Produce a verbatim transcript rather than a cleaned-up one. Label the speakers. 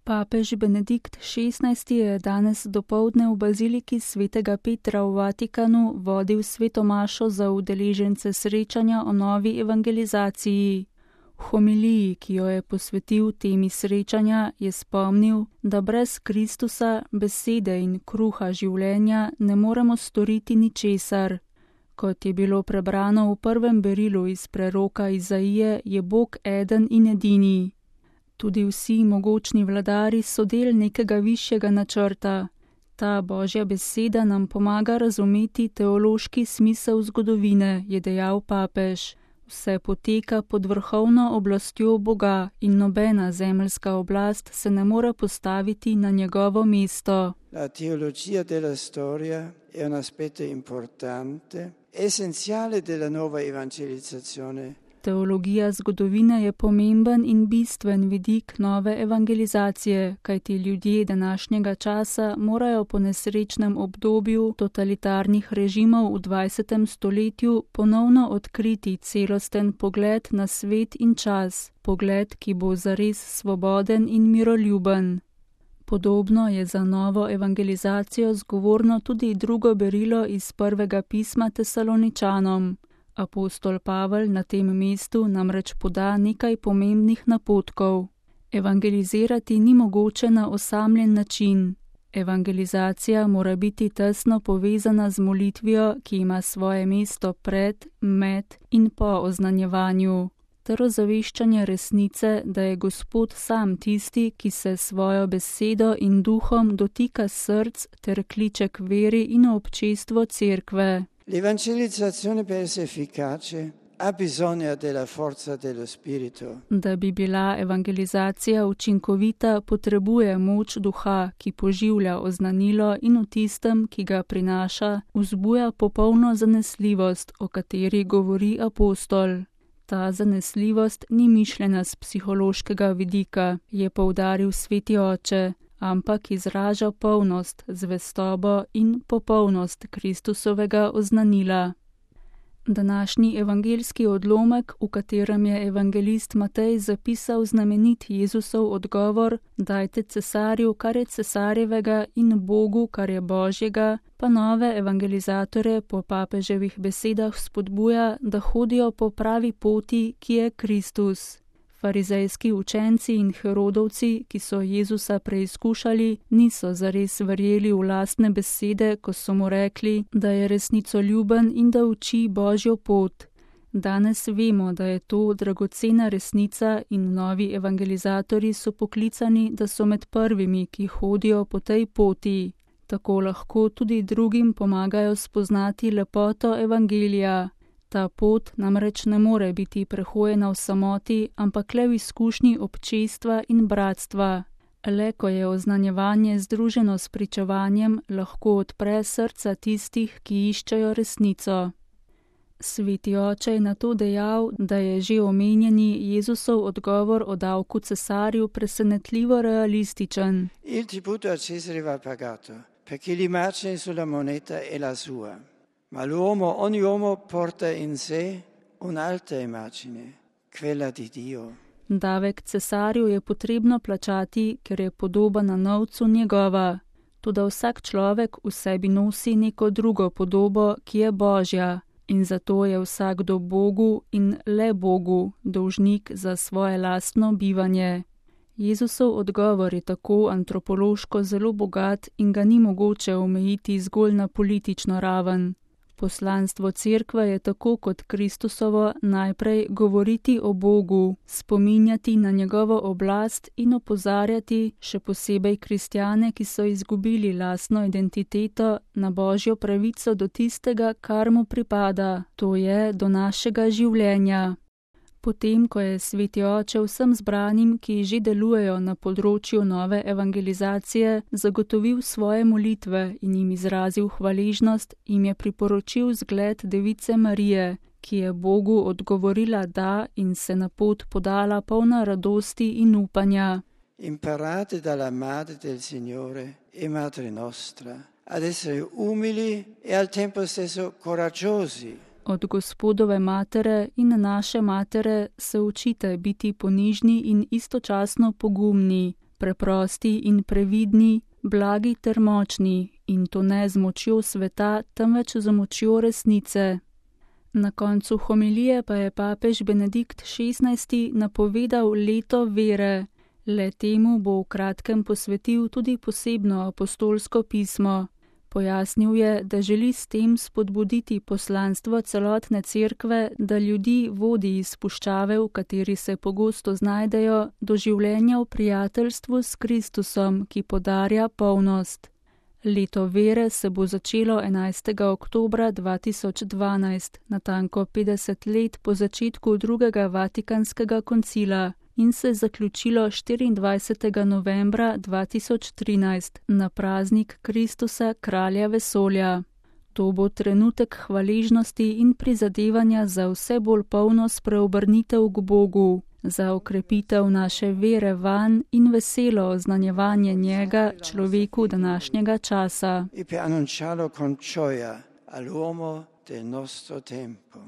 Speaker 1: Papež Benedikt šestnajsti je danes dopoldne v baziliki svetega Petra v Vatikanu vodil sveto mašo za udeležence srečanja o novi evangelizaciji. V homiliji, ki jo je posvetil temi srečanja, je spomnil, da brez Kristusa, besede in kruha življenja ne moremo storiti ničesar. Kot je bilo prebrano v prvem berilu iz preroka Izaije, je Bog eden in edini. Tudi vsi mogočni vladari so del nekega višjega načrta. Ta Božja beseda nam pomaga razumeti teološki smisel zgodovine, je dejal papež. Vse poteka pod vrhovno oblastjo Boga in nobena zemeljska oblast se ne more postaviti na njegovo mesto.
Speaker 2: La teologia della storia è un aspetto importante, essenziale della nuova evangelizzazione.
Speaker 1: Teologija zgodovine je pomemben in bistven vidik nove evangelizacije, kajti ljudje današnjega časa morajo po nesrečnem obdobju totalitarnih režimov v dvajsetem stoletju ponovno odkriti celosten pogled na svet in čas, pogled, ki bo zares svoboden in miroljuben. Podobno je za novo evangelizacijo zgovorno tudi drugo berilo iz prvega pisma Tesaloničanom. Apostol Pavel na tem mestu namreč poda nekaj pomembnih napotkov. Evangelizirati ni mogoče na osamljen način. Evangelizacija mora biti tesno povezana z molitvijo, ki ima svoje mesto pred, med in po oznanjevanju, ter ozaveščanje resnice, da je Gospod sam tisti, ki se svojo besedo in duhom dotika src ter kliče k veri in občestvo cerkve.
Speaker 2: L'evangelizzazione per essere efficace ha bisogno della forza dello spirito.
Speaker 1: Da bi bila evangelizacija učinkovita, potrebuje moč duha, ki poživlja oznanilo in v tistem, ki ga prinaša, vzbuja popolno zanesljivost, o kateri govori apostol. Ta zanesljivost ni mišljena z psihološkega vidika, je poudaril sveti oče, ampak izraža polnost, zvestobo in popolnost Kristusovega oznanila. Današnji evangeljski odlomek, v katerem je evangelist Matej zapisal znamenit Jezusov odgovor, dajte cesarju, kar je cesarjevega, in Bogu, kar je Božjega, pa nove evangelizatore po papeževih besedah spodbuja, da hodijo po pravi poti, ki je Kristus. Farizejski učenci in Herodovci, ki so Jezusa preizkušali, niso zares verjeli v lastne besede, ko so mu rekli, da je resnicoljuben in da uči Božjo pot. Danes vemo, da je to dragocena resnica in novi evangelizatorji so poklicani, da so med prvimi, ki hodijo po tej poti. Tako lahko tudi drugim pomagajo spoznati lepoto evangelija. Ta pot namreč ne more biti prehojena v samoti, ampak le v izkušnji občestva in bratstva. Le ko je oznanjevanje združeno s pričevanjem, lahko odpre srca tistih, ki iščejo resnico. Sveti oče je na to dejal, da je že omenjeni Jezusov odgovor o davku cesarju presenetljivo realističen.
Speaker 2: Il tributo a Cesare va pagato, perché l'immagine sulla moneta è la sua. Ma l'uomo, ogni uomo porta in sé un'altra immagine, quella di Dio.
Speaker 1: Davek cesarju je potrebno plačati, ker je podoba na novcu njegova. Toda vsak človek v sebi nosi neko drugo podobo, ki je Božja, in zato je vsakdo Bogu in le Bogu dolžnik za svoje lastno bivanje. Jezusov odgovor je tako antropološko zelo bogat in ga ni mogoče omejiti zgolj na politično raven. Poslanstvo cerkve je tako kot Kristusovo najprej govoriti o Bogu, spominjati na njegovo oblast in opozarjati, še posebej kristjane, ki so izgubili lastno identiteto, na Božjo pravico do tistega, kar mu pripada, to je do našega življenja. Potem, ko je sveti oče vsem zbranim, ki že delujejo na področju nove evangelizacije, zagotovil svoje molitve in jim izrazil hvaležnost, jim je priporočil zgled Device Marije, ki je Bogu odgovorila da in se na pot podala polna radosti in upanja.
Speaker 2: Imparate dalla madre del Signore e madre nostra ad essere umili e al tempo stesso coraggiosi.
Speaker 1: Od Gospodove matere in naše matere se učite biti ponižni in istočasno pogumni, preprosti in previdni, blagi ter močni, in to ne z močjo sveta, temveč z močjo resnice. Na koncu homilije pa je papež Benedikt šestnajsti napovedal leto vere. Le temu bo v kratkem posvetil tudi posebno apostolsko pismo. Pojasnil je, da želi s tem spodbuditi poslanstvo celotne cerkve, da ljudi vodi iz puščave, v kateri se pogosto znajdejo, do življenja v prijateljstvu s Kristusom, ki podarja polnost. Leto vere se bo začelo enajstega oktobra dva tisoč dvanajst, natanko petdeset let po začetku drugega vatikanskega koncila, in se zaključilo štiriindvajsetega novembra dva tisoč trinajst na praznik Kristusa, kralja vesolja. To bo trenutek hvaležnosti in prizadevanja za vse bolj polno spreobrnitev k Bogu, za okrepitev naše vere vanj in veselo oznanjevanje njega človeku današnjega časa.
Speaker 2: E per annunciarlo con gioia all'uomo del nostro tempo.